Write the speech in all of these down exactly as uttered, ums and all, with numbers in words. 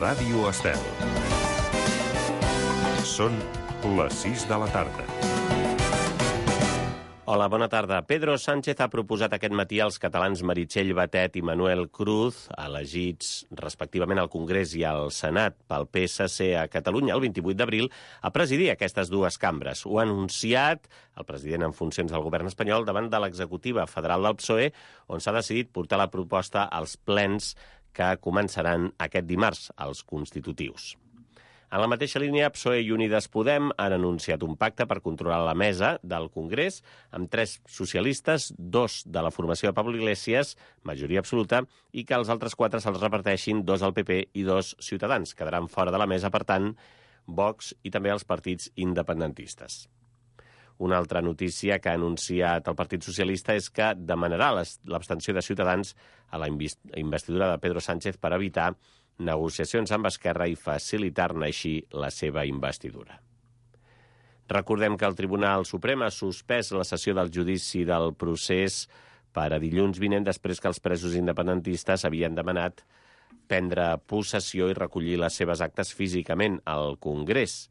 Ràdio Estel. Són les sis de la tarda. Hola, bona tarda. Pedro Sánchez ha proposat aquest matí als catalans Meritxell Batet i Manuel Cruz, elegits respectivament al Congrés i al Senat pel P S C a Catalunya el vint-i-vuit d'abril, a presidir aquestes dues cambres. Ho ha anunciat el president en funcions del govern espanyol davant de l'executiva federal del P S O E, on s'ha decidit portar la proposta als plens que començaran aquest dimarts, els constitutius. En la mateixa línia, P S O E i Unides Podem han anunciat un pacte per controlar la mesa del Congrés amb tres socialistes, dos de la formació de Pablo Iglesias, majoria absoluta, i que els altres quatre se'ls reparteixin, dos al P P i dos Ciutadans. Quedaran fora de la mesa, per tant, Vox i també els partits independentistes. Una altra notícia que ha anunciat el Partit Socialista és que demanarà l'abstenció de Ciutadans a la investidura de Pedro Sánchez per evitar negociacions amb Esquerra i facilitar-ne així la seva investidura. Recordem que el Tribunal Suprem ha suspès la sessió del judici del procés per a dilluns vinent després que els presos independentistes havien demanat prendre possessió i recollir les seves actes físicament al Congrés,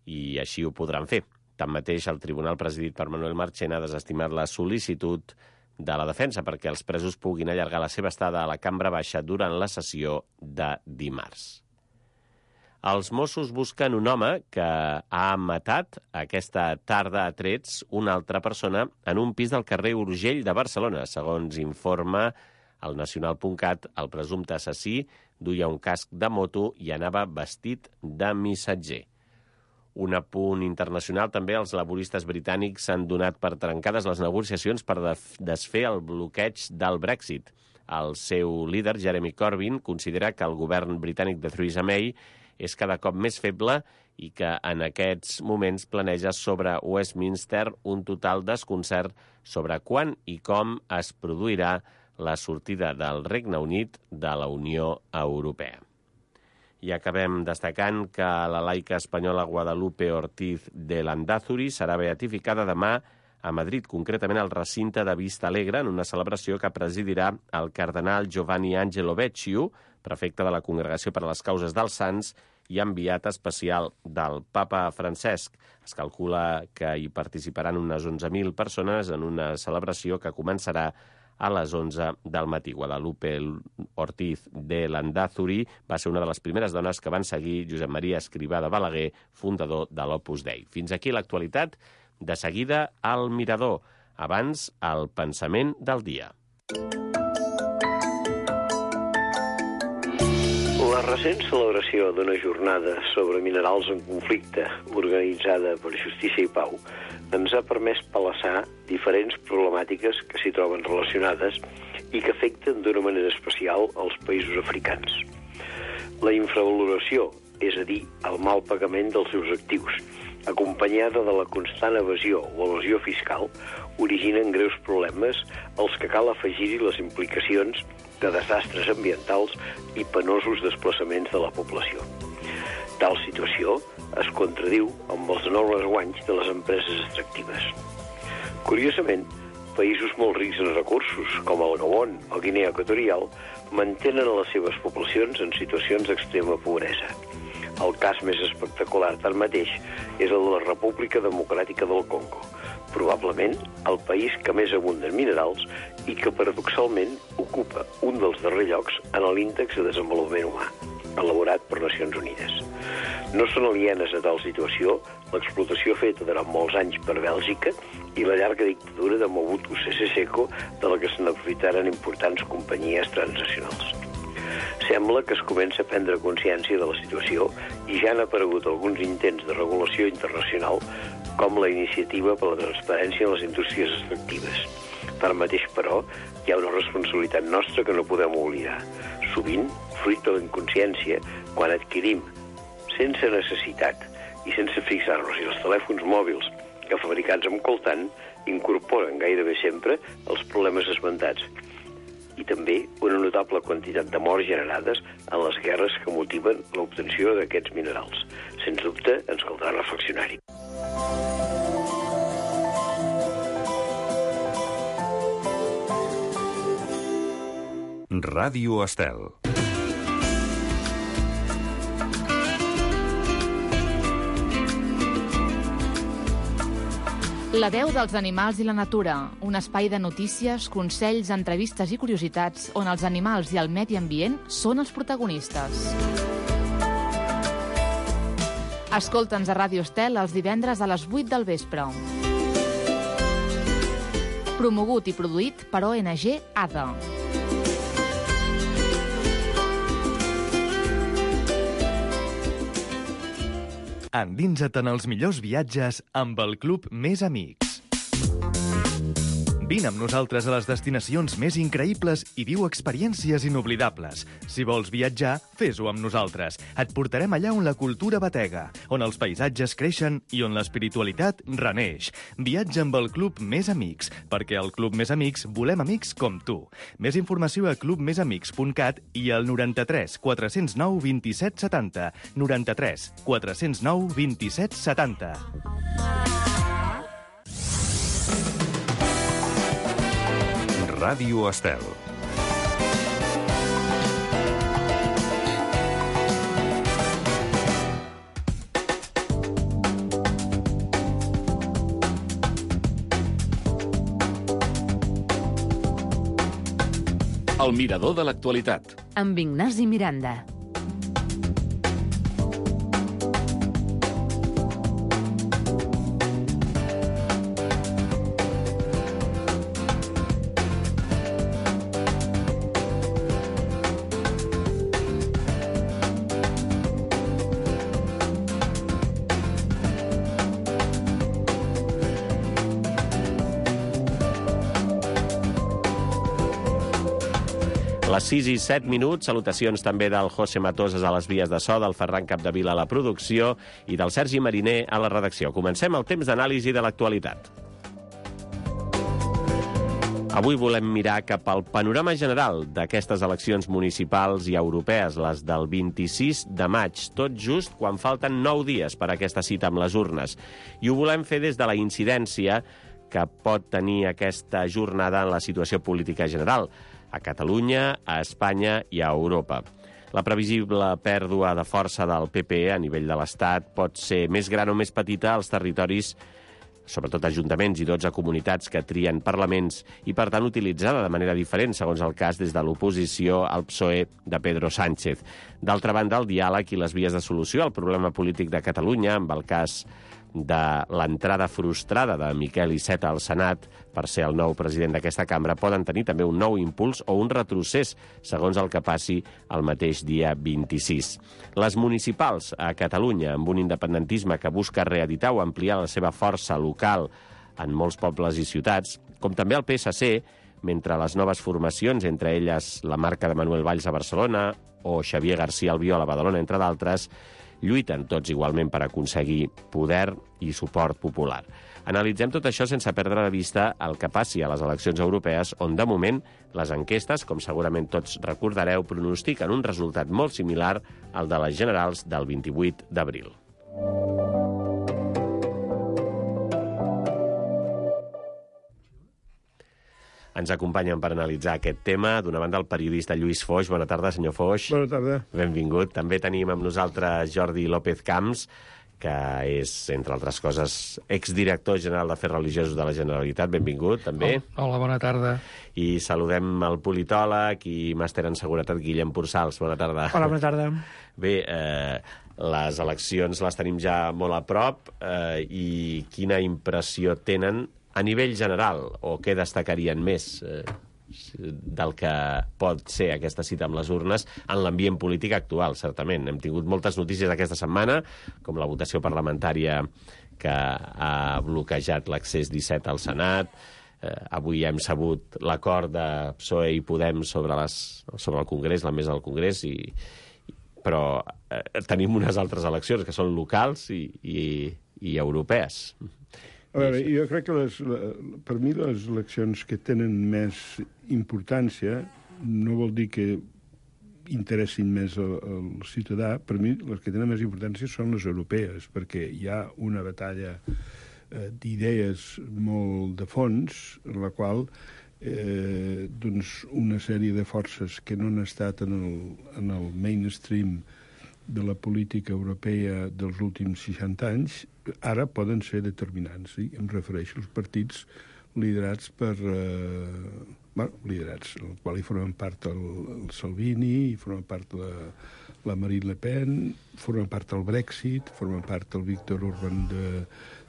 i així ho podran fer. Tanmateix, el tribunal presidit per Manuel Marchena ha desestimat la sol·licitud de la defensa perquè els presos puguin allargar la seva estada a la cambra baixa durant la sessió de dimarts. Els Mossos busquen un home que ha matat aquesta tarda a trets una altra persona en un pis del carrer Urgell de Barcelona. Segons informa el nacional punt cat, el presumpte assassí duia un casc de moto i anava vestit de missatger. Un apunt internacional, també els laboristes britànics s'han donat per trencades les negociacions per desfer el bloqueig del Brexit. El seu líder, Jeremy Corbyn, considera que el govern britànic de Theresa May és cada cop més feble i que en aquests moments planeja sobre Westminster un total desconcert sobre quan i com es produirà la sortida del Regne Unit de la Unió Europea. I acabem destacant que la laica espanyola Guadalupe Ortiz de Landázuri serà beatificada demà a Madrid, concretament al recinte de Vista Alegre, en una celebració que presidirà el cardenal Giovanni Angelo Becciu, prefecte de la Congregació per a les Causes dels Sants i enviat especial del papa Francesc. Es calcula que hi participaran unes onze mil persones en una celebració que començarà a les onze del matí. Guadalupe Ortiz de Landázuri va ser una de les primeres dones que van seguir Josep Maria Escrivà de Balaguer, fundador de l'Opus Dei. Fins aquí l'actualitat. De seguida, al Mirador. Abans, el pensament del dia. La recent celebració d'una jornada sobre minerals en conflicte organitzada per Justícia i Pau ens ha permès palassar diferents problemàtiques que s'hi troben relacionades i que afecten d'una manera especial els països africans. La infravaloració, és a dir, el mal pagament dels seus actius, acompanyada de la constant evasió o evasió fiscal, originen greus problemes als que cal afegir-hi les implicacions de desastres ambientals i penosos desplaçaments de la població. Tal situació es contradiu amb els enormes guanys de les empreses extractives. Curiosament, països molt rics en recursos, com el Gabon o Guinea Equatorial, mantenen les seves poblacions en situacions d'extrema pobresa. El cas més espectacular, tanmateix, és el de la República Democràtica del Congo, probablement el país que més abunda en minerals i que, paradoxalment, ocupa un dels darrers llocs en l'índex de desenvolupament humà, elaborat per Nacions Unides. No són alienes a tal situació l'explotació feta durant molts anys per Bèlgica i la llarga dictadura de Mobutu Sese Seko, de la que se n'aprofitaren importants companyies transnacionals. Sembla que es comença a prendre consciència de la situació i ja han aparegut alguns intents de regulació internacional, com la iniciativa per la transparència en les indústries extractives. Tanmateix, però, hi ha una responsabilitat nostra que no podem oblidar. Sovint, fruit de la inconsciència, quan adquirim, sense necessitat i sense fixar-nos i els telèfons mòbils que fabricats amb coltan incorporen gairebé sempre els problemes esmentats i també una notable quantitat de morts generades en les guerres que motiven l'obtenció d'aquests minerals. Sens dubte, ens caldrà reflexionar-hi. Ràdio Estel. La veu dels animals i la natura, un espai de notícies, consells, entrevistes i curiositats on els animals i el medi ambient són els protagonistes. Escolta'ns a Ràdio Estel els divendres a les vuit del vespre. Promogut i produït per O N G A D A. Endinsa't en els millors viatges amb el Club Més Amics. Vine amb nosaltres a les destinacions més increïbles i viu experiències inoblidables. Si vols viatjar, fes-ho amb nosaltres. Et portarem allà on la cultura batega, on els paisatges creixen i on l'espiritualitat reneix. Viatja amb el Club Més Amics, perquè al Club Més Amics volem amics com tu. Més informació a club més amics punt cat i al noranta-tres quatre cents nou vint-i-set setanta. noranta-tres quatre cents nou vint-i-set setanta. Ràdio Estel. El mirador de l'actualitat. Amb Ignasi Miranda. Les sis i set minuts, salutacions també del José Matoses a les vies de so, del Ferran Capdevila a la producció i del Sergi Mariner a la redacció. Comencem el temps d'anàlisi de l'actualitat. Avui volem mirar cap al panorama general d'aquestes eleccions municipals i europees, les del vint-i-sis de maig, tot just quan falten nou dies per a aquesta cita amb les urnes. I ho volem fer des de la incidència que pot tenir aquesta jornada en la situació política general, a Catalunya, a Espanya i a Europa. La previsible pèrdua de força del P P a nivell de l'Estat pot ser més gran o més petita als territoris, sobretot ajuntaments i dotze comunitats que trien parlaments, i per tant utilitzada de manera diferent, segons el cas, des de l'oposició al P S O E de Pedro Sánchez. D'altra banda, el diàleg i les vies de solució al problema polític de Catalunya, amb el cas de l'entrada frustrada de Miquel Iceta al Senat per ser el nou president d'aquesta cambra, poden tenir també un nou impuls o un retrocés, segons el que passi el mateix dia vint-i-sis. Les municipals a Catalunya, amb un independentisme que busca reeditar o ampliar la seva força local en molts pobles i ciutats, com també el P S C, mentre les noves formacions, entre elles la marca de Manuel Valls a Barcelona o Xavier García Albiol a Badalona, entre d'altres, lluiten tots igualment per aconseguir poder i suport popular. Analitzem tot això sense perdre de vista el que passi a les eleccions europees, on de moment les enquestes, com segurament tots recordareu, pronostiquen un resultat molt similar al de les generals del vint-i-vuit d'abril. Ens acompanyen per analitzar aquest tema, d'una banda, el periodista Lluís Foix. Bona tarda, senyor Foix. Bona tarda. Benvingut. També tenim amb nosaltres Jordi López Camps, que és, entre altres coses, exdirector general d'Afers Religiosos de la Generalitat. Benvingut, també. Hola, bona tarda. I saludem el politòleg i màster en seguretat Guillem Pursals. Bona tarda. Hola, bona tarda. Bé, eh, les eleccions les tenim ja molt a prop eh, i quina impressió tenen a nivell general, o què destacarien més eh, del que pot ser aquesta cita amb les urnes en l'ambient polític actual, certament. Hem tingut moltes notícies aquesta setmana, com la votació parlamentària que ha bloquejat l'accés disset al Senat. Eh, avui hem sabut l'acord de P S O E i Podem sobre, les, sobre el Congrés, la mesa del Congrés, i, però eh, tenim unes altres eleccions que són locals i, i, i europees. A veure, jo crec que les, per mi les eleccions que tenen més importància no vol dir que interessin més al, al ciutadà. Per mi les que tenen més importància són les europees, perquè hi ha una batalla eh, d'idees molt de fons, en la qual eh, doncs una sèrie de forces que no han estat en el, en el mainstream de la política europea dels últims seixanta anys ara poden ser determinants. Sí? Em refereixo als partits liderats per... Eh, bueno, liderats, en el qual hi formen part el, el Salvini, hi formen part la, la Marine Le Pen, formen part el Brexit, formen part el Viktor Orban de,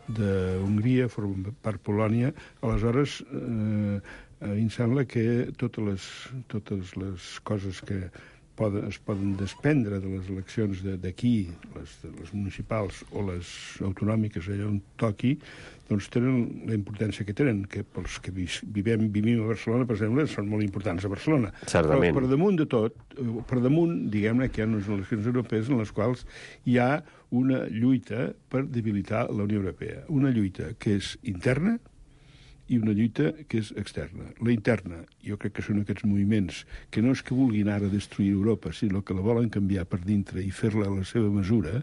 de Hongria, formen part Polònia. Aleshores, eh, a mi em sembla que totes les, totes les coses que poden, es poden desprendre de les eleccions d'aquí, les, les municipals o les autonòmiques allà on toqui, doncs tenen la importància que tenen, que pels que vivem, vivim a Barcelona, per exemple, són molt importants a Barcelona. Certament. Però per damunt de tot, per damunt, diguem-ne que hi ha unes eleccions europees en les quals hi ha una lluita per debilitar la Unió Europea. Una lluita que és interna i una lluita que és externa. La interna, jo crec que són aquests moviments que no és que vulguin ara destruir Europa, sinó que la volen canviar per dintre i fer-la a la seva mesura,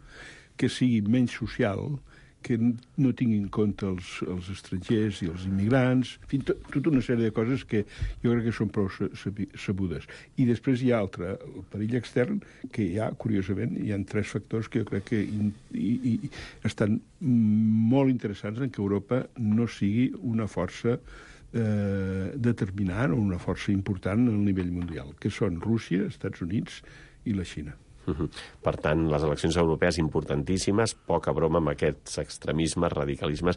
que sigui menys social, que no tingui en compte els, els estrangers i els immigrants, en fi, tot, tota una sèrie de coses que jo crec que són prou sabudes. I després hi ha altre, el perill extern, que hi ha, curiosament, hi ha tres factors que jo crec que in, i, i estan molt interessants en que Europa no sigui una força eh, determinant o una força important al nivell mundial, que són Rússia, Estats Units i la Xina. Uh-huh. Per tant, les eleccions europees importantíssimes, poca broma amb aquests extremismes, radicalismes,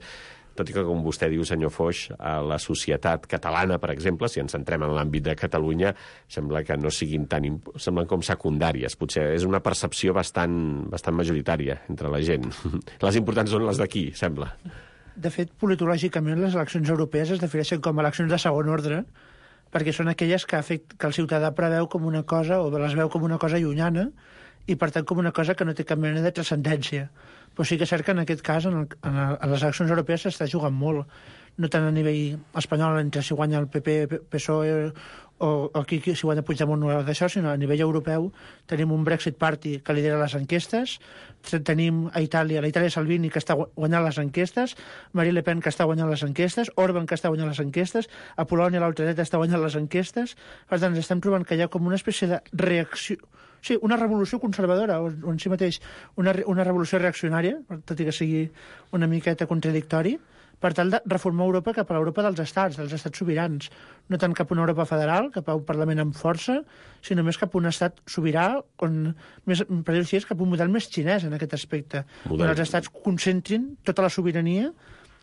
tot i que, com vostè diu, senyor Foix, a la societat catalana, per exemple, si ens centrem en l'àmbit de Catalunya, sembla que no siguin tan... semblen com secundàries. Potser és una percepció bastant, bastant majoritària entre la gent. Les importants són les d'aquí, sembla. De fet, politològicament, les eleccions europees es defineixen com eleccions de segon ordre, perquè són aquelles que, afect... que el ciutadà preveu com una cosa, o les veu com una cosa llunyana, i per tant com una cosa que no té cap mena de transcendència. Però sí que és cert que en aquest cas, en, el, en, el, en les eleccions europees s'està jugant molt, no tant a nivell espanyol, entre si guanya el P P, P S O E, o, o aquí si guanya Puigdemont no d'això, sinó a nivell europeu tenim un Brexit Party que lidera les enquestes, tenim a Itàlia, la Itàlia Salvini que està guanyant les enquestes, Marine Le Pen que està guanyant les enquestes, Orban que està guanyant les enquestes, a Polònia l'ultradreta està guanyant les enquestes, per tant ens estem trobant que hi ha com una espècie de reacció, sí, una revolució conservadora, o, o en si mateix una, una revolució reaccionària, tot i que sigui una miqueta contradictori, per tal de reformar Europa cap a l'Europa dels estats, dels estats sobirans, no tant cap a una Europa federal, cap a un Parlament amb força, sinó més cap a un estat sobirà, on, més, per dir-ho així, cap a un model més xinès en aquest aspecte, model. On els estats concentrin tota la sobirania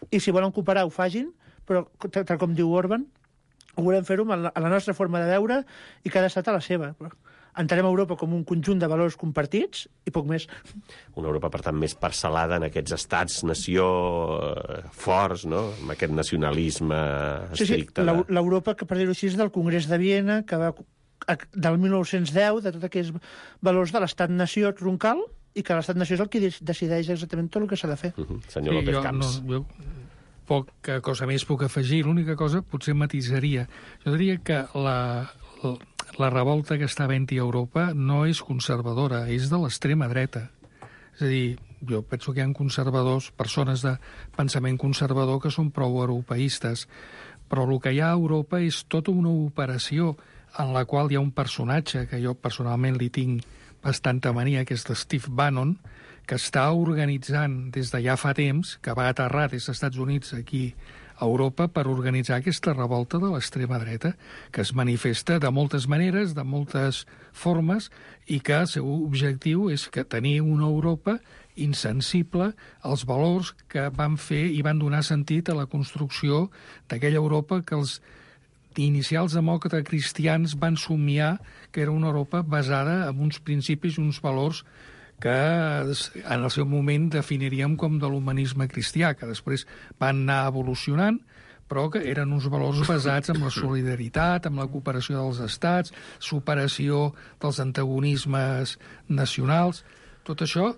i si volen cooperar ho fagin, però tal com diu Orban, ho volem fer-ho a la nostra forma de veure i cada estat a la seva. Entenem Europa com un conjunt de valors compartits i poc més. Una Europa, per tant, més parcel·lada en aquests estats-nació forts, no?, amb aquest nacionalisme estricte. Sí, sí, l'Europa, que per dir-ho així, és del Congrés de Viena, que va del mil nou-cents deu, de tots aquests valors de l'estat-nació troncal, i que l'estat-nació és el que decideix exactament tot el que s'ha de fer. Uh-huh. Senyor sí, López Camps. No, jo... poca cosa més puc afegir. L'única cosa potser matisaria. Jo diria que la, la, la revolta que està havent-hi a Europa no és conservadora, és de l'extrema dreta. És a dir, jo penso que hi ha conservadors, persones de pensament conservador que són prou europeistes, però el que hi ha a Europa és tota una operació en la qual hi ha un personatge que jo personalment li tinc bastanta mania, que és de Steve Bannon, que està organitzant des de ja fa temps, que va aterrar des dels Estats Units aquí a Europa per organitzar aquesta revolta de l'extrema dreta, que es manifesta de moltes maneres, de moltes formes, i que el seu objectiu és que tenir una Europa insensible als valors que van fer i van donar sentit a la construcció d'aquella Europa que els inicials demòcrates cristians van somiar, que era una Europa basada en uns principis i uns valors que en el seu moment definiríem com de l'humanisme cristià, que després van anar evolucionant, però que eren uns valors basats en la solidaritat, en la cooperació dels estats, superació dels antagonismes nacionals. Tot això,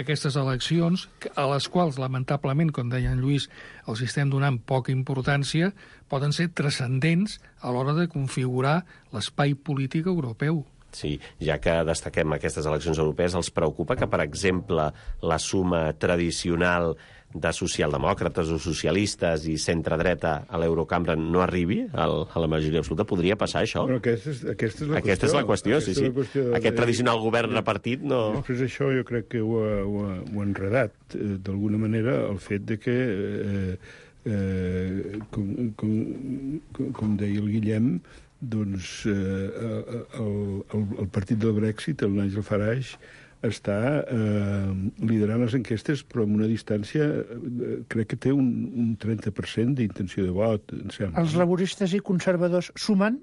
aquestes eleccions, a les quals, lamentablement, com deia en Lluís, els estem donant poca importància, poden ser transcendents a l'hora de configurar l'espai polític europeu. Sí, ja que destaquem aquestes eleccions europees, els preocupa que, per exemple, la suma tradicional de socialdemòcrates o socialistes i centre-dreta a l'Eurocambra no arribi al, a la majoria absoluta? Podria passar això? Bueno, aquesta és, aquesta és la aquesta qüestió. és la qüestió, aquesta sí, sí. Qüestió de... Aquest tradicional govern repartit no... Després això jo crec que ho ha, ho ha, ho ha enredat, eh, d'alguna manera, el fet de que, eh, eh, com, com, com, com deia el Guillem, doncs eh, el, el, el partit del Brexit, el Nigel Farage, està eh, liderant les enquestes, però amb una distància, eh, crec que té un, un trenta per cent d'intenció de vot, em sembla. Els laboristes i conservadors sumant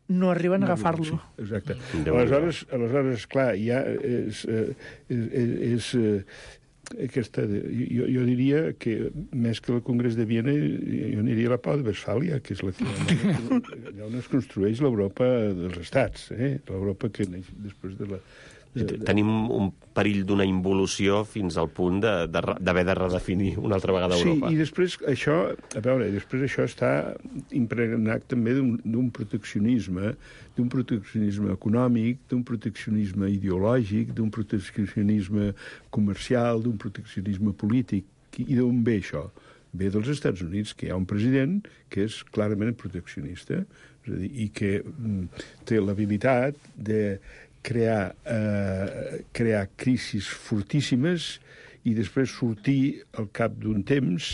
no arriben a agafar-lo. Sí, exacte. Aleshores, aleshores, clar, ja és... és, és, és aquesta, jo, jo diria que més que el Congrés de Viena jo aniria a la Pau de Westfàlia, que és la que, allà on es construeix l'Europa dels estats, eh? L'Europa que neix després de la... De, de... Tenim un perill d'una involució fins al punt d'haver de, de, de redefinir una altra vegada Europa. Sí, i després això, a veure, després això està impregnat també d'un proteccionisme, d'un proteccionisme econòmic, d'un proteccionisme ideològic, d'un proteccionisme comercial, d'un proteccionisme polític. I d'on ve això? Ve dels Estats Units, que hi ha un president que és clarament proteccionista, és a dir, i que mm, té l'habilitat de crear, eh, crear crisis fortíssimes i després sortir al cap d'un temps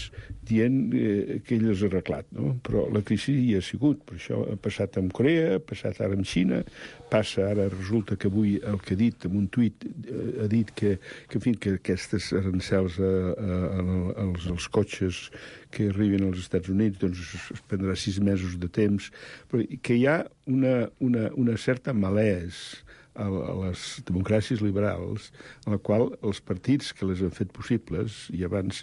dient eh, que ell les ha arreglat, no? Però la crisi hi ha sigut, per això ha passat amb Corea, ha passat ara amb Xina, passa ara, resulta que avui el que ha dit, en un tuit, eh, ha dit que, que, en fi, que aquestes arancels a, a, a, als, als cotxes que arriben als Estats Units doncs es prendrà sis mesos de temps, però que hi ha una, una, una certa malès a les democràcies liberals, en la qual els partits que les han fet possibles, i abans,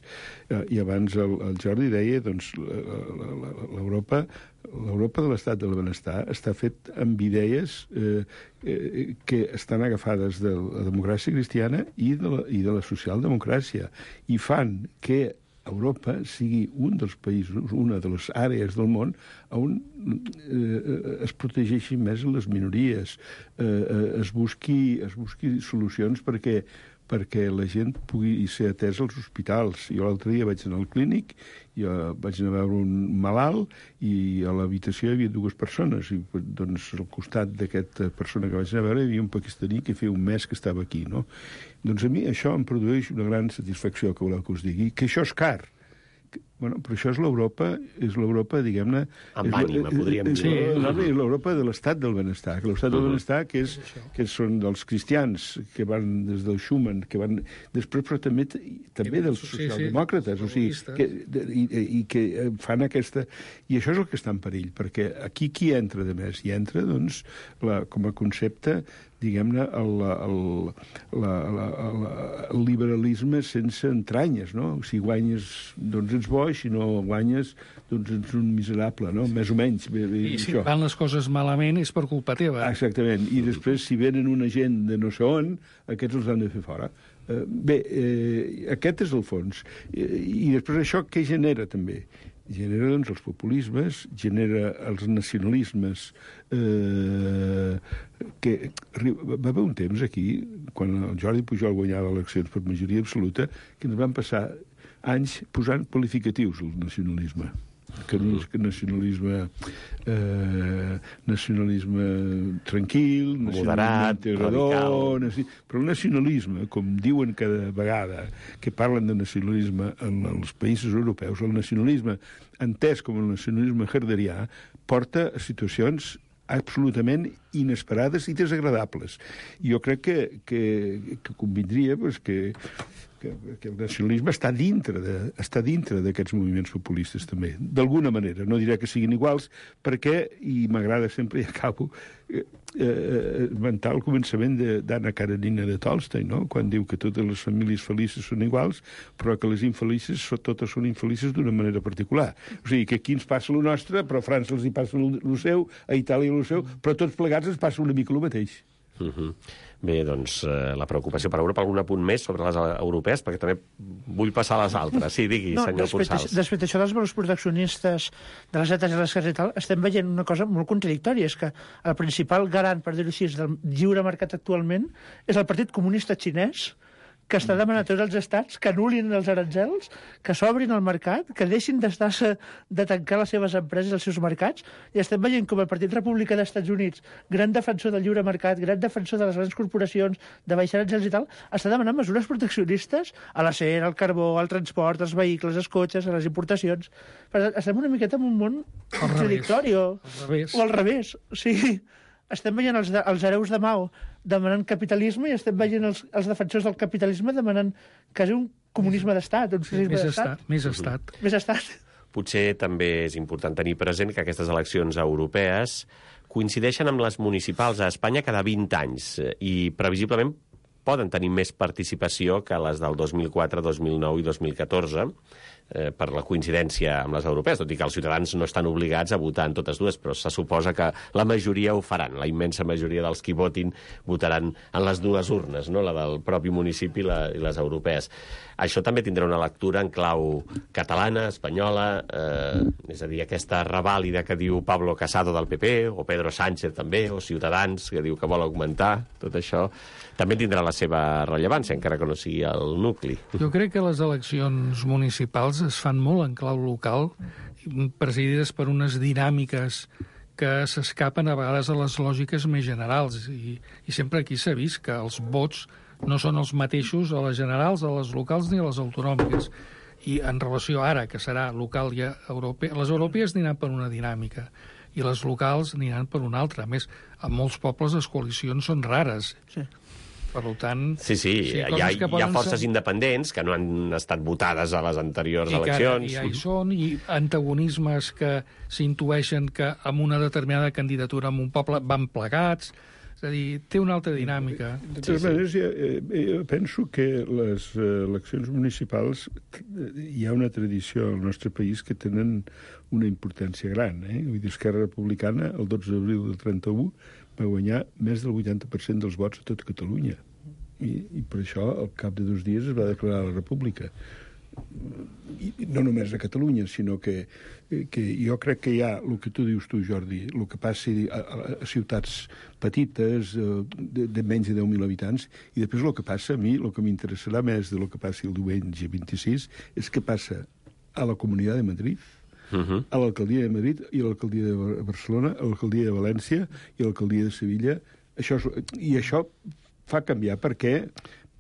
eh, i abans el, el Jordi deia, doncs, l'Europa l'Europa de l'estat del benestar està fet amb idees eh, eh, que estan agafades de la democràcia cristiana i de la, i de la socialdemocràcia, i fan que Europa sigui un dels països, una de les àrees del món on eh, es protegeixin més les minories, eh, eh, es, busqui, es busqui solucions perquè, perquè la gent pugui ser atesa als hospitals. Jo l'altre dia vaig anar al clínic, jo vaig anar a veure un malalt i a l'habitació hi havia dues persones, i doncs al costat d'aquesta persona que vaig anar a veure hi havia un pakistaní que feia un mes que estava aquí, no? Doncs a mi això em produeix una gran satisfacció, que voleu que us digui, que això és car. Bueno, però això és l'Europa, és l'Europa, diguem-ne... Amb ànima, podríem dir. Sí, és l'Europa de l'estat del benestar, que l'estat del benestar que, és, que són dels cristians, que van des del Schumann, que van després, però també, també dels socialdemòcrates, o sigui, que, i, i que fan aquesta... I això és el que està en perill, perquè aquí qui entra de més? Hi entra, doncs, la, com a concepte, diguem-ne, el, el, la, la, la, el liberalisme sense entranyes, no? Si guanyes, doncs ets bo, i si no guanyes, doncs ets un miserable, no? Més o menys. I si això. Van les coses malament és per culpa teva. Exactament. I després, si venen una gent de no sé on, aquests els han de fer fora. Eh, bé, eh, aquest és el fons. I, i després això què genera, també? Genera, doncs, els populismes, genera els nacionalismes, eh, que va haver un temps aquí, quan el Jordi Pujol guanyava eleccions per majoria absoluta, que ens van passar anys posant qualificatius al nacionalisme. Que nacionalisme eh, nacionalisme tranquil, moderat, radical. Però el nacionalisme, com diuen cada vegada que parlen de nacionalisme en els països europeus, el nacionalisme entès com el nacionalisme herderià porta a situacions absolutament inesperades i desagradables. I jo crec que, que, que convindria pues, que que, que el nacionalisme està dintre de, està dintre d'aquests moviments populistes també, d'alguna manera. No diré que siguin iguals, perquè, i m'agrada sempre, i acabo, eh, eh, esmentar el començament d'Anna Karenina de Tolstoi, no? Quan diu que totes les famílies felices són iguals, però que les infelices totes són infelices d'una manera particular. O sigui, que aquí ens passa el nostre, però a França els hi passa el seu, a Itàlia el seu, però tots plegats ens passa una mica el mateix. Uh-huh. Bé, doncs, eh, la preocupació per Europa. Algun apunt més sobre les europees? Perquè també vull passar a les altres. Sí, digui, no, senyor Ponsals. Després d'això dels valors proteccionistes de les dates i les cases i tal, estem veient una cosa molt contradictòria. És que el principal garant, per dir-ho així, del lliure mercat actualment és el Partit Comunista Xinès, que està demanant a tots els estats que anul·lin els aranzels, que s'obrin al mercat, que deixin d'estar-se de tancar les seves empreses i els seus mercats, i estem veient com el Partit Republicà dels Estats Units, gran defensor del lliure mercat, gran defensor de les grans corporacions, de baixar aranzels i tal, està demanant mesures proteccionistes a l'acer, al carbó, al transport, als vehicles, als cotxes, a les importacions. Per tant, estem una miqueta en un món contradictori, o al revés. O sigui, estem veient els, de, els hereus de Mao demanant capitalisme i estem veient els, els defensors del capitalisme demanant quasi un comunisme d'estat, un socialisme sí, d'estat. Més estat. Més estat. Potser també és important tenir present que aquestes eleccions europees coincideixen amb les municipals a Espanya cada vint anys i previsiblement poden tenir més participació que les del dos mil quatre, dos mil nou i dos mil catorze, eh, per la coincidència amb les europees, tot i que els ciutadans no estan obligats a votar en totes dues, però se suposa que la majoria ho faran. La immensa majoria dels qui votin votaran en les dues urnes, no? La del propi municipi i, la, i les europees. Això també tindrà una lectura en clau catalana, espanyola, eh, és a dir, aquesta revàlida que diu Pablo Casado del P P, o Pedro Sánchez també, o Ciutadans, que diu que vol augmentar, tot això també tindrà la seva rellevància, encara que no sigui el nucli. Jo crec que les eleccions municipals es fan molt en clau local, presidides per unes dinàmiques que s'escapen a vegades a les lògiques més generals. I, i sempre aquí s'ha vist que els vots no són els mateixos a les generals, a les locals ni a les autonòmiques. I en relació ara, que serà local i europea, les europees aniran per una dinàmica i les locals aniran per una altra. A més, en molts pobles les coalicions són rares. Sí. Per tant... Sí, sí, sí hi, ha, hi ha forces ser... independents que no han estat votades a les anteriors I eleccions. I ja hi són, i antagonismes que s'intueixen que amb una determinada candidatura en un poble van plegats. És a dir, té una altra dinàmica. De totes maneres, jo, jo penso que les eleccions municipals hi ha una tradició al nostre país que tenen una importància gran. Eh? Vull dir, Esquerra Republicana, el dotze d'abril del trenta-u, va guanyar més del vuitanta per cent dels vots a tot Catalunya. I, i per això, al cap de dos dies, es va declarar la República. I no només a Catalunya, sinó que, que jo crec que hi ha, el que tu dius tu, Jordi, el que passi a, a ciutats petites, de, de menys de deu mil habitants, i després el que passa, a mi, el que m'interessarà més del que passi el diumenge vint-i-sis, és què passa a la Comunitat de Madrid, Uh-huh. a l'alcaldia de Madrid i a l'alcaldia de Barcelona, a l'alcaldia de València i a l'alcaldia de Sevilla. Això és, I això fa canviar perquè,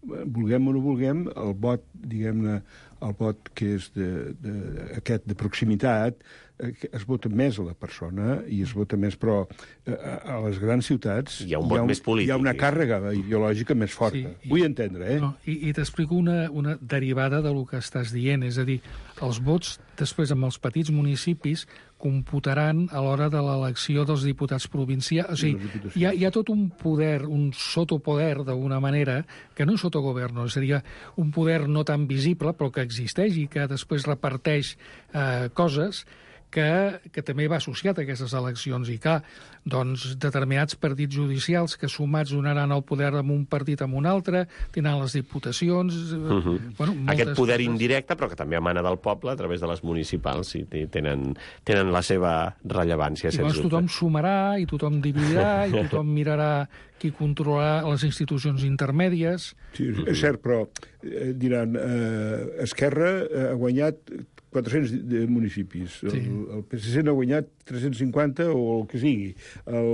vulguem o no vulguem, el vot, diguem-ne, el vot que és de, de, aquest de proximitat, eh, es vota més a la persona i es vota més, però eh, a les grans ciutats hi ha un vot hi ha un, més polític. Hi ha una càrrega ideològica més forta. Sí, i, vull entendre, eh? No, I i t'explico una, una derivada del que estàs dient, és a dir, els vots després amb els petits municipis computaran a l'hora de l'elecció dels diputats provincials. O sigui, hi ha, hi ha tot un poder, un sotopoder, d'alguna manera, que no és sotogoverno, és a dir, un poder no tan visible, però que existeix i que després reparteix eh, coses que, que també va associat a aquestes eleccions. I clar, doncs, determinats partits judicials que sumats donaran el poder amb un partit amb un altre, tindran les diputacions... Uh-huh. bueno, Aquest poder coses. indirecte, però que també emana del poble a través de les municipals, i tenen, tenen la seva rellevància. I llavors tothom sumarà, i tothom dividirà, i tothom mirarà qui controlarà les institucions intermèdies... Sí, és cert, però eh, diran, eh, Esquerra ha guanyat quatre-cents de municipis. Sí. El, el P S C n'ha guanyat tres-cents cinquanta o el que sigui. El,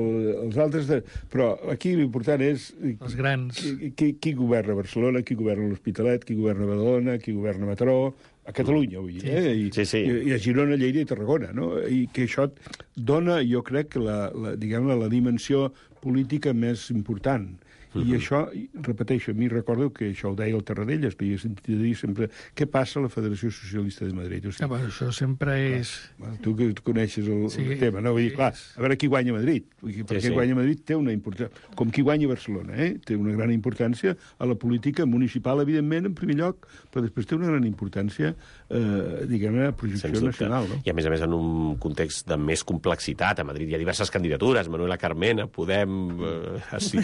els altres... De... Però aquí l'important és... Els grans. Qui, qui, qui governa Barcelona, qui governa l'Hospitalet, qui governa Badalona, qui governa Mataró, a Catalunya, vull dir, sí. eh? I, sí, sí. I, i a Girona, Lleida i Tarragona, no? I que això dona, jo crec, la, la, diguem la dimensió política més important. Uh-huh. I això, repeteixo, a mi recordo que això ho deia el Tarradellas, que jo he sentit dir sempre què passa a la Federació Socialista de Madrid. O sigui, ja, bueno, això sempre és... Clar, tu que coneixes el, sí, el tema, no? Vull dir, clar, a veure qui guanya Madrid. Perquè sí, sí. guanya Madrid té una importància... Com qui guanya Barcelona, eh? Té una gran importància a la política municipal, evidentment, en primer lloc, però després té una gran importància, eh, diguem-ne, a projecció nacional. No? I a més a més en un context de més complexitat complexitat. A Madrid hi ha diverses candidatures, Manuela Carmena, Podem, eh, sí,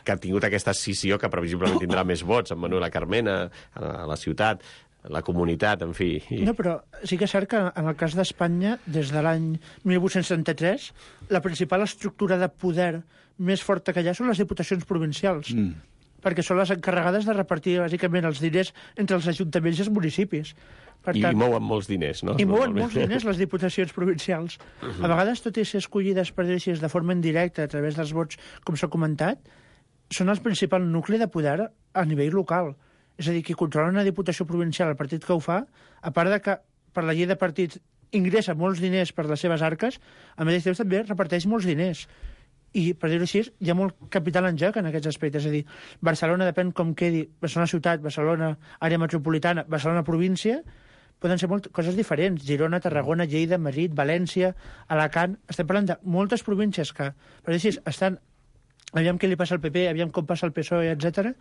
que ha tingut aquesta escissió que previsiblement tindrà més vots, amb Manuela Carmena, a la ciutat, la comunitat, en fi. I... No, però sí que és cert que en el cas d'Espanya, des de l'any mil vuit-cents setanta-tres, la principal estructura de poder més forta que hi ha són les diputacions provincials, mm. perquè són les encarregades de repartir, bàsicament, els diners entre els ajuntaments i els municipis. Per I tant, mouen molts diners, no? I mouen molts diners les diputacions provincials. Uh -huh. A vegades, tot i ser escollides, per dir-ho així, de forma indirecta, a través dels vots, com s'ha comentat, són el principal nucli de poder a nivell local. És a dir, qui controla una diputació provincial, el partit que ho fa, a part de que per la llei de partits ingressa molts diners per les seves arques, al mateix temps també reparteix molts diners. I, per dir-ho així, hi ha molt capital en joc en aquests aspectes. És a dir, Barcelona, depèn com quedi, Barcelona ciutat, Barcelona àrea metropolitana, Barcelona província, poden ser molt, coses diferents. Girona, Tarragona, Lleida, Madrid, València, Alacant... Estem parlant de moltes províncies que, per dir-ho així, estan... Aviam què li passa al P P, aviam com passa al P S O E, etcètera.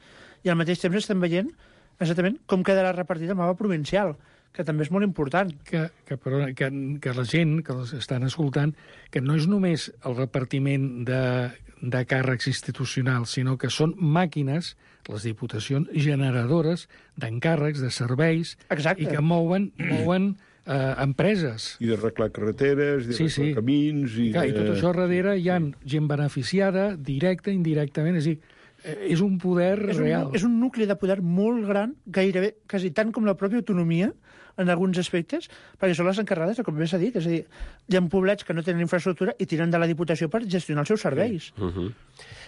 I al mateix temps estem veient exactament com quedarà repartit el mapa provincial, que també és molt important. Que, que, però, que, que la gent que els estan escoltant, que no és només el repartiment de, de càrrecs institucionals, sinó que són màquines, les diputacions, generadores d'encàrrecs, de serveis, Exacte. I que mouen, mouen eh, empreses. I d'arreglar carreteres, i sí, d'arreglar sí. camins... I, Clar, de... I tot això darrere hi ha gent beneficiada, directa, indirectament, és a dir, és un poder és un, real. És un nucli de poder molt gran, gairebé, quasi tant com la pròpia autonomia, en alguns aspectes, perquè són les encarregades, com bé s'ha dit. És a dir, hi ha poblets que no tenen infraestructura i tiren de la Diputació per gestionar els seus serveis. Sí. Uh -huh.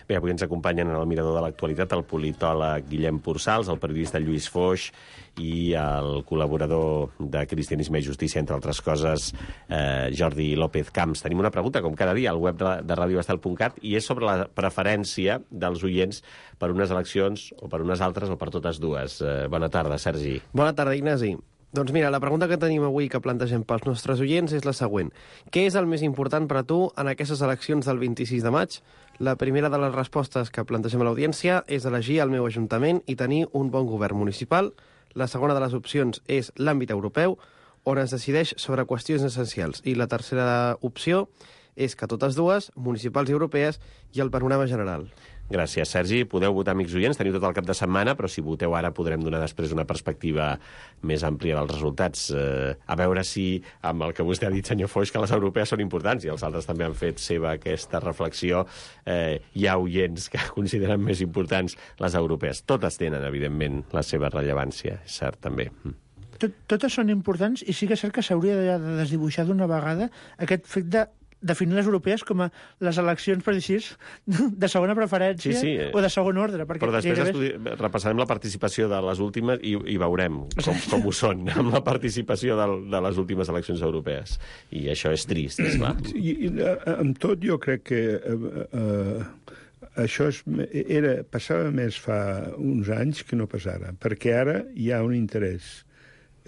Bé, avui ens acompanyen en el Mirador de l'Actualitat el politòleg Guillem Pursals, el periodista Lluís Foix i el col·laborador de Cristianisme i Justícia, entre altres coses, eh, Jordi López Camps. Tenim una pregunta, com cada dia, al web de, de radio estel punt cat, i és sobre la preferència dels oients per unes eleccions o per unes altres o per totes dues. Eh, bona tarda, Sergi. Bona tarda, Ignasi. Doncs mira, la pregunta que tenim avui que plantegem pels nostres oients és la següent. Què és el més important per a tu en aquestes eleccions del vint-i-sis de maig? La primera de les respostes que plantegem a l'audiència és elegir el meu ajuntament i tenir un bon govern municipal. La segona de les opcions és l'àmbit europeu, on es decideix sobre qüestions essencials. I la tercera opció és que totes dues, municipals i europees, i el panorama general. Gràcies, Sergi. Podeu votar, amics oients, teniu tot el cap de setmana, però si voteu ara podrem donar després una perspectiva més àmplia dels resultats. Eh, a veure si, amb el que vostè ha dit, senyor Foix, que les europees són importants, i els altres també han fet seva aquesta reflexió, eh, hi ha oients que consideren més importants les europees. Totes tenen, evidentment, la seva rellevància, és cert, també. Tot, totes són importants i sí que és cert que s'hauria de, de desdibuixar d'una vegada aquest fet de definir les europees com a les eleccions, per dir així, de segona preferència sí, sí. o de segon ordre. Perquè però després gairebé... estudi... repassarem la participació de les últimes i, i veurem com, com ho són amb la participació de, de les últimes eleccions europees. I això és trist, és clar. I, i amb tot jo crec que eh, eh, això és, era, passava més fa uns anys que no pas ara, perquè ara hi ha un interès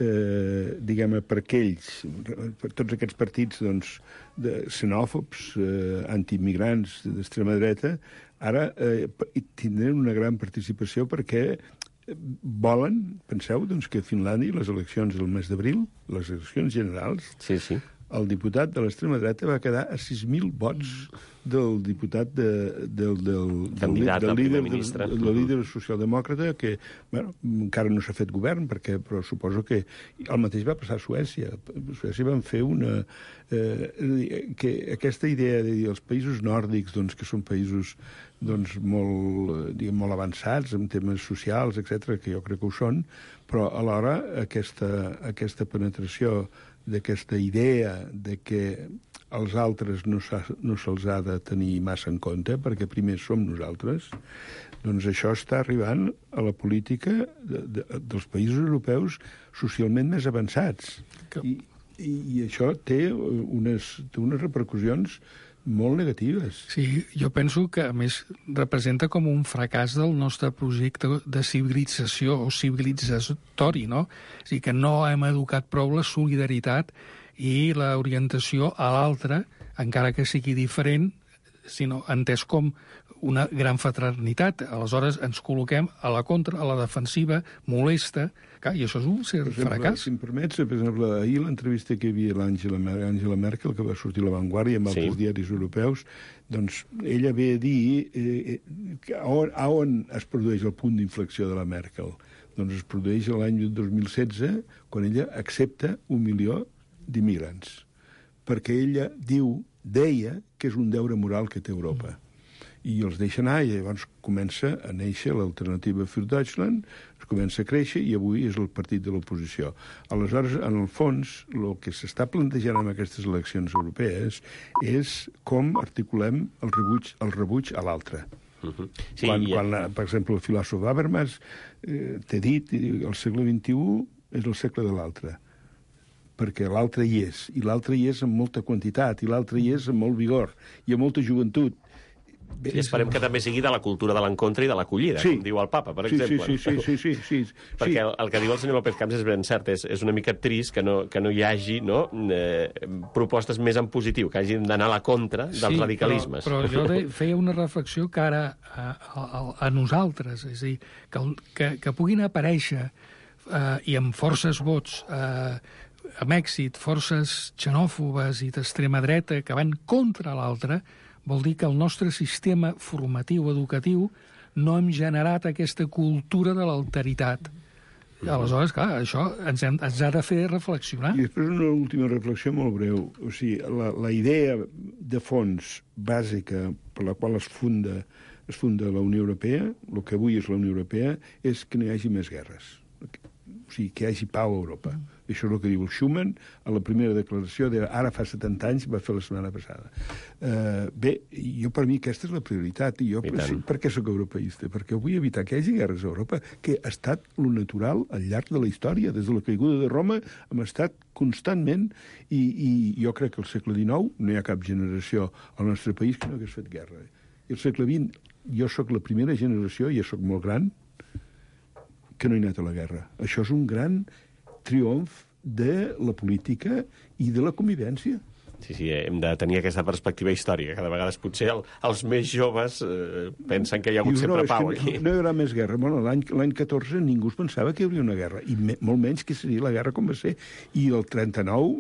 eh, diguem-ne, per aquells, per tots aquests partits doncs, de xenòfobs, eh, antiimmigrants d'extrema dreta, ara eh, tindran una gran participació perquè volen, penseu, doncs, que a Finlàndia les eleccions del mes d'abril, les eleccions generals, sí, sí. el diputat de l'extrema dreta va quedar a sis mil vots del diputat de, del, del, candidat del, del líder, ministre. del, del líder socialdemòcrata que, bueno, encara no s'ha fet govern, perquè, però suposo que el mateix va passar a Suècia. A Suècia van fer una... Eh, que aquesta idea de dir els països nòrdics, doncs, que són països doncs, molt, diguem, molt avançats en temes socials, etcètera, que jo crec que ho són, però alhora aquesta, aquesta penetració d'aquesta idea de que els altres no se'ls no ha de tenir massa en compte, perquè primer som nosaltres, doncs això està arribant a la política de, de, dels països europeus socialment més avançats. Que... I, i, I això té unes, té unes repercussions molt negatives. Sí, jo penso que, a més, representa com un fracàs del nostre projecte de civilització o civilitzatori, no? És a dir, que no hem educat prou la solidaritat i l'orientació a l'altre, encara que sigui diferent, sinó entès com una gran fraternitat. Aleshores ens col·loquem a la contra, a la defensiva, molesta, clar, i això és un cert fracàs. Si em permets, per exemple, ahir l'entrevista que hi havia l'Àngela Angela Merkel, que va sortir a La Vanguardia amb altres sí. diaris europeus, doncs ella ve a dir eh, eh, a, on, a on es produeix el punt d'inflexió de la Merkel. Doncs es produeix l'any dos mil setze, quan ella accepta un milió d'immigrants, perquè ella diu, deia que és un deure moral que té Europa. Mm. I els deixa anar, i llavors comença a néixer l'alternativa für Deutschland, es comença a créixer, i avui és el partit de l'oposició. Aleshores, en el fons, el que s'està plantejant en aquestes eleccions europees és com articulem el rebuig, el rebuig a l'altre. Uh-huh. Sí, quan, i... quan, per exemple, el filòsof Habermas eh, t'ha dit que el segle vint-i-u és el segle de l'altre, perquè l'altre hi és, i l'altre hi és amb molta quantitat, i l'altre hi és amb molt vigor, i amb molta joventut. Bé, I esperem que també sigui de la cultura de l'encontre i de l'acollida, sí. com diu el papa, per sí, exemple. Sí, sí, sí, sí, sí, sí. Perquè el, el que diu el senyor López Camps és ben cert, és, és una mica trist que no, que no hi hagi no, eh, propostes més en positiu, que hagin d'anar a la contra dels sí, radicalismes. Però, però jo de, feia una reflexió que ara a, a, a nosaltres, és a dir, que, que, que puguin aparèixer eh, i amb forces vots eh, amb èxit, forces xenòfobes i d'extrema dreta que van contra l'altre, vol dir que el nostre sistema formatiu educatiu no hem generat aquesta cultura de l'alteritat. I aleshores, clar, això ens, hem, ens ha de fer reflexionar. I després una última reflexió molt breu. O sigui, la, la idea de fons bàsica per la qual es funda, es funda la Unió Europea, el que avui és la Unió Europea, és que no hi hagi més guerres. O sigui, que hi hagi pau a Europa. Això és el que diu el Schuman a la primera declaració de ara fa setanta anys, va fer la setmana passada. Uh, bé, jo per mi aquesta és la prioritat. I jo, I per, per què sóc europeista? Perquè vull evitar que hi hagi guerres a Europa, que ha estat lo natural al llarg de la història. Des de la caiguda de Roma hem estat constantment, i, i jo crec que al segle dinou no hi ha cap generació al nostre país que no hagués fet guerra. I al segle vint, jo sóc la primera generació, i ja sóc molt gran, que no he anat a la guerra. Això és un gran triomf de la política i de la convivència. Sí, sí, hem de tenir aquesta perspectiva històrica, que de vegades potser el, els més joves eh, pensen que hi ha hagut Dius, sempre no, pau aquí. No hi haurà més guerra. Bueno, l'any catorze ningú es pensava que hi hauria una guerra, i me, molt menys que seria la guerra com va ser. I el trenta-nou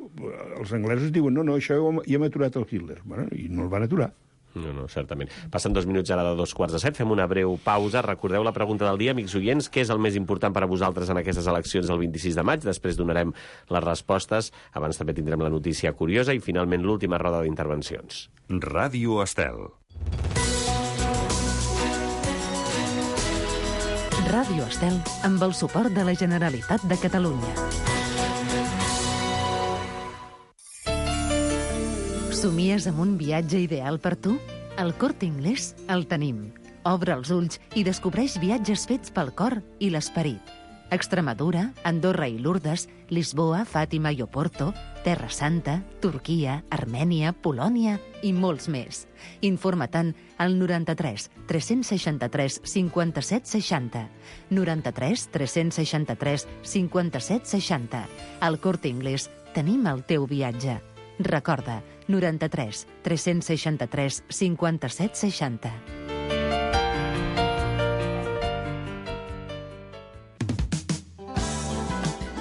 els anglesos diuen no, no, això ja hem aturat el Hitler. Bueno, i no el van aturar. No, no, certament. Passen dos minuts ara de dos quarts de set. Fem una breu pausa. Recordeu la pregunta del dia, amics oients. Què és el més important per a vosaltres en aquestes eleccions del vint-i-sis de maig? Després donarem les respostes. Abans també tindrem la notícia curiosa i, finalment, l'última roda d'intervencions. Ràdio Estel. Ràdio Estel, amb el suport de la Generalitat de Catalunya. Somies amb un viatge ideal per tu? Al Corte Inglés el tenim. Obre els ulls i descobreix viatges fets pel cor i l'esperit. Extremadura, Andorra i Lourdes, Lisboa, Fàtima i Oporto, Terra Santa, Turquia, Armènia, Polònia i molts més. Informa-te'n al noranta-tres tres-cents seixanta-tres cinquanta-set seixanta. noranta-tres tres-cents seixanta-tres cinquanta-set seixanta. Al Corte Inglés tenim el teu viatge. Recorda, noranta-tres tres-cents seixanta-tres cinquanta-set seixanta.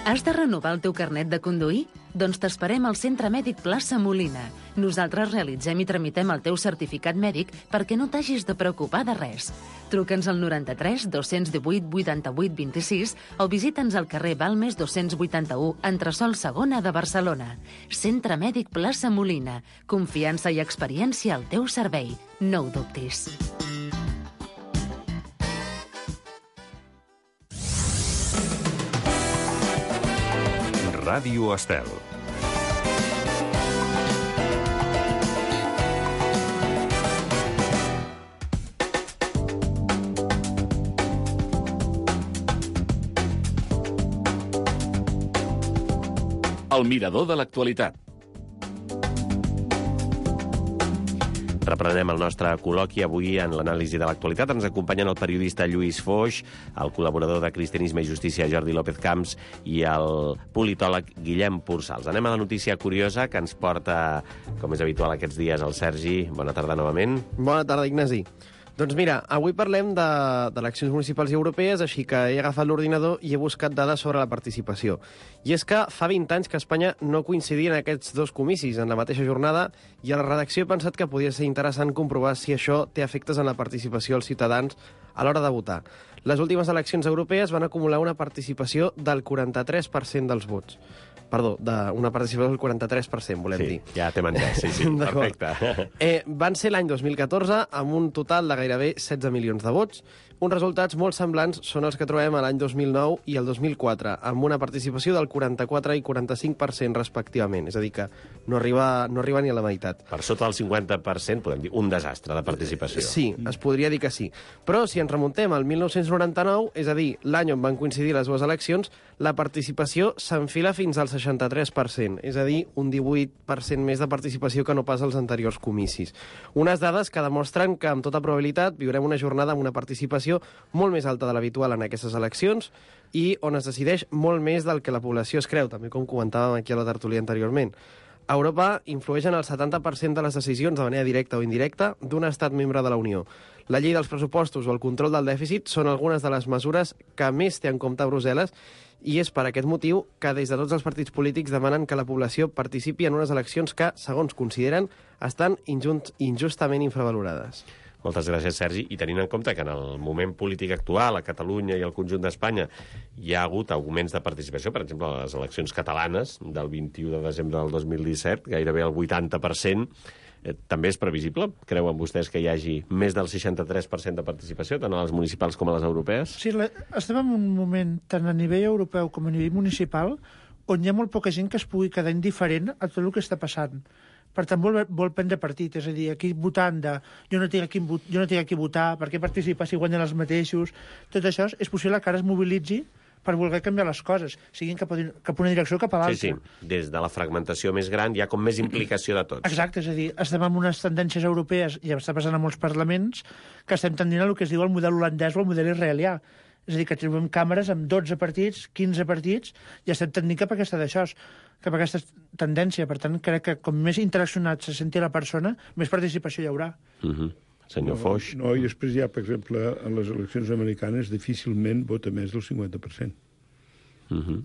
Has de renovar el teu carnet de conduir? Doncs t'esperem al Centre Mèdic Plaça Molina. Nosaltres realitzem i tramitem el teu certificat mèdic perquè no t'hagis de preocupar de res. Truca'ns al noranta-tres dos-cents divuit vuitanta-vuit vint-i-sis o visita'ns al carrer Balmes dos-cents vuitanta-u, entresòl segona de Barcelona. Centre Mèdic Plaça Molina. Confiança i experiència al teu servei. No ho dubtis. Ràdio Estel. El mirador de l'actualitat. Reprenem el nostre col·loqui avui en l'anàlisi de l'actualitat. Ens acompanyen el periodista Lluís Foix, el col·laborador de Cristianisme i Justícia Jordi López Camps i el politòleg Guillem Pursals. Anem a la notícia curiosa que ens porta, com és habitual aquests dies, el Sergi. Bona tarda novament. Bona tarda, Ignasi. Doncs mira, avui parlem d'eleccions municipals i europees, així que he agafat l'ordinador i he buscat dades sobre la participació. I és que fa vint anys que a Espanya no coincidien aquests dos comicis en la mateixa jornada i a la redacció he pensat que podia ser interessant comprovar si això té efectes en la participació dels ciutadans a l'hora de votar. Les últimes eleccions europees van acumular una participació del quaranta-tres per cent dels vots. Perdó, d'una participació del quaranta-tres per cent, volem sí, dir. Ja t'hem entès, sí, sí, perfecte. Eh, van ser l'any dos mil catorze amb un total de gairebé setze milions de vots. Uns resultats molt semblants són els que trobem a l'any dos mil nou i el dos mil quatre, amb una participació del quaranta-quatre i quaranta-cinc per cent respectivament. És a dir, que no arriba, no arriba ni a la meitat. Per sota del cinquanta per cent, podem dir, un desastre de participació. Sí, es podria dir que sí. Però si ens remuntem al mil nou-cents noranta-nou, és a dir, l'any on van coincidir les dues eleccions, la participació s'enfila fins al seixanta-tres per cent, és a dir, un divuit per cent més de participació que no pas als anteriors comicis. Unes dades que demostren que, amb tota probabilitat, viurem una jornada amb una participació molt més alta de l'habitual en aquestes eleccions i on es decideix molt més del que la població es creu, també com comentàvem aquí a la tertúlia anteriorment. A Europa influeix en el setanta per cent de les decisions de manera directa o indirecta d'un estat membre de la Unió. La llei dels pressupostos o el control del dèficit són algunes de les mesures que més té en compte Brussel·les i és per aquest motiu que des de tots els partits polítics demanen que la població participi en unes eleccions que, segons consideren, estan injustament infravalorades. Moltes gràcies, Sergi. I tenint en compte que en el moment polític actual, a Catalunya i al conjunt d'Espanya, hi ha hagut augments de participació, per exemple, a les eleccions catalanes del vint-i-u de desembre del dos mil disset, gairebé el vuitanta per cent, eh, també és previsible? Creuen vostès que hi hagi més del seixanta-tres per cent de participació, tant a les municipals com a les europees? Sí, la, estem en un moment, tant a nivell europeu com a nivell municipal, on hi ha molt poca gent que es pugui quedar indiferent a tot el que està passant. Per tant, vol, vol prendre partit, és a dir, aquí votant de jo no tinc aquí, jo no tinc aquí votar, per què participar si guanyen els mateixos, tot això és possible que ara es mobilitzi per voler canviar les coses, siguin cap a, cap a una direcció o cap a l'altra. Sí, sí, des de la fragmentació més gran hi ha com més implicació de tots. Exacte, és a dir, estem amb unes tendències europees, i està passant a molts parlaments, que estem tendint a el que es diu el model holandès o el model israelià. És a dir, que trobem càmeres amb dotze partits, quinze partits, i estem tendint cap a aquesta d'això, cap a aquesta tendència. Per tant, crec que com més interaccionat se senti la persona, més participació hi haurà. Uh-huh. Senyor Foix. No, no, i després ja, per exemple, en les eleccions americanes difícilment vota més del cinquanta per cent. Uh-huh.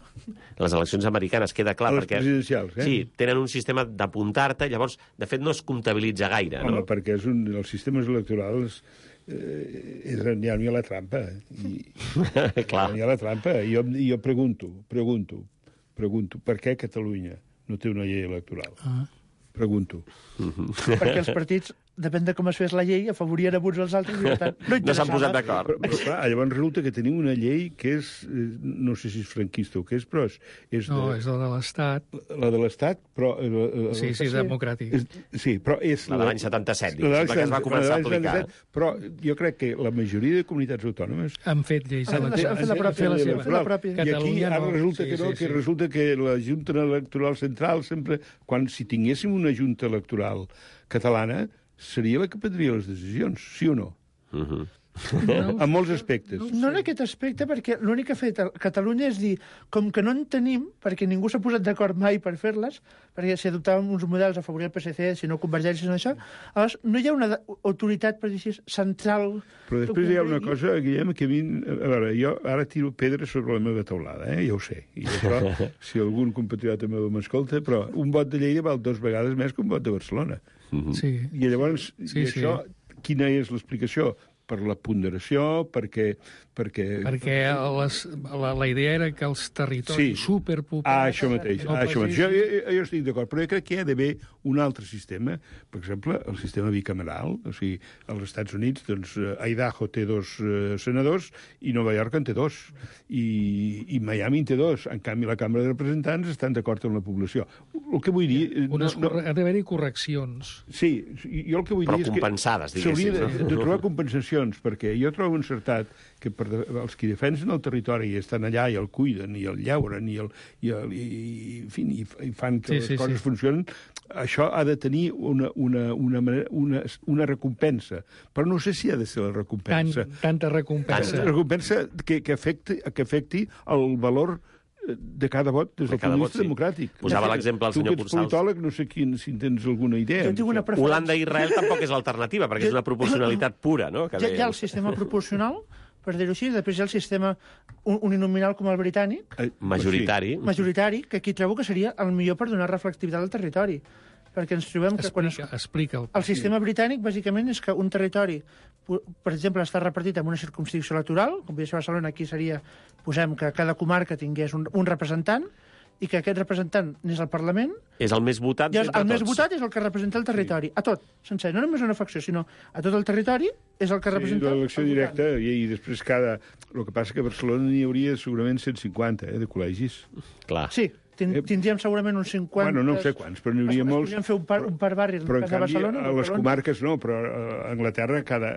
Les eleccions americanes, queda clar, a les perquè presidencials, eh? Sí, tenen un sistema d'apuntar-te, llavors, de fet, no es comptabilitza gaire, Home, no? perquè és un, els sistemes electorals eh, és, ja no hi ha la trampa. I, Clar. Ja no hi ha la trampa. I jo, jo pregunto, pregunto, pregunto, per què Catalunya no té una llei electoral? Ah. Pregunto. Uh-huh. Perquè els partits, depèn de com es fes la llei, afavorien a uns als altres i per tant no No s'han posat d'acord. Però, però clar, llavors resulta que tenim una llei que és, no sé si és franquista o què és, però és... és no, de, és la de l'Estat. La de l'Estat, però... La, sí, sí, és democràtic. És, sí, però és... La de l'any setanta-set, la, la que es va començar a aplicar. Però jo crec que la majoria de comunitats autònomes... Han fet lleis han, electorals. Han fet la pròpia. La seva. La pròpia. I aquí ara no. resulta sí, que no, sí, que sí. resulta que la Junta Electoral Central sempre... Quan si tinguéssim una Junta Electoral catalana, seria la que prendria les decisions, sí o no? Uh-huh. No, en molts aspectes. No en aquest aspecte, perquè l'únic que ha fet Catalunya és dir, com que no en tenim, perquè ningú s'ha posat d'acord mai per fer-les, perquè si adoptàvem uns models a favorir el P S C, si no Convergència, no això, llavors no hi ha una autoritat, per dir així, central... Però després hi ha una cosa, Guillem, que a mi... A veure, jo ara tiro pedres sobre la meva taulada, eh? Ja ho sé. I això, si algun compatriota meu m'escolta, però un vot de Lleida val dues vegades més que un vot de Barcelona. Uh-huh. Sí. I llavors, sí, i això, sí. Quina és l'explicació? Per la ponderació, perquè... Perquè, perquè les, la, la idea era que els territoris sí. superpoblats... Ah, això mateix. No ah, això mateix. Jo, jo, jo estic d'acord, però jo crec que hi ha d'haver un altre sistema, per exemple, el sistema bicameral, o sigui, als Estats Units, doncs, Idaho té dos uh, senadors i Nova York en té dos, i, i Miami en té dos. En canvi, la Cambra de Representants estan d'acord amb la població. El que vull dir... Unes, no, no... Ha d'haver-hi correccions. Sí, jo el que vull però dir és que... Però compensades, diguéssim. S'hauria de, no? de trobar compensacions, perquè jo trobo encertat que per de, els que defensen el territori i estan allà i el cuiden i el llauren i, el, i, el, i, i, en fi, i, i fan que sí, les sí, coses sí. funcionen, això ha de tenir una, una, una, una, una recompensa, però no sé si ha de ser la recompensa. Tant, tanta recompensa. La recompensa que, que, afecti, que afecti el valor de cada vot des del punt de vista sí. democràtic. Posava l'exemple el senyor Cursals. Tu que ets politòleg, no sé quin, si en tens alguna idea. Jo tinc una preferència. Holanda i Israel tampoc és l'alternativa, perquè és una proporcionalitat pura, no? Que hi, ha, hi ha el sistema proporcional, per dir-ho així, després hi ha el sistema uninominal com el britànic. Eh, majoritari. Sí. Majoritari, que aquí trobo que seria el millor per donar reflectivitat al territori. Perquè ens trobem que quan... Explica, explica el... el sistema britànic, bàsicament, és que un territori, per exemple, està repartit en una circumscripció electoral, com podria ser Barcelona, aquí seria, posem que cada comarca tingués un, un representant, i que aquest representant anés al Parlament... És el més votat d'entre tots. El més tots. votat és el que representa el territori, sí. A tot, sencer, no només una facció, sinó a tot el territori és el que representa... Sí, l'elecció directa, i, i després cada... El que passa que a Barcelona n'hi hauria segurament cent cinquanta, eh, de col·legis. Clar. Sí, tindríem segurament uns cinquanta... Bueno, no sé quants, però n'hi hauria molts. Podríem fer un par, un par barri però, en canvi, Barcelona. a les comarques no, però a Anglaterra cada,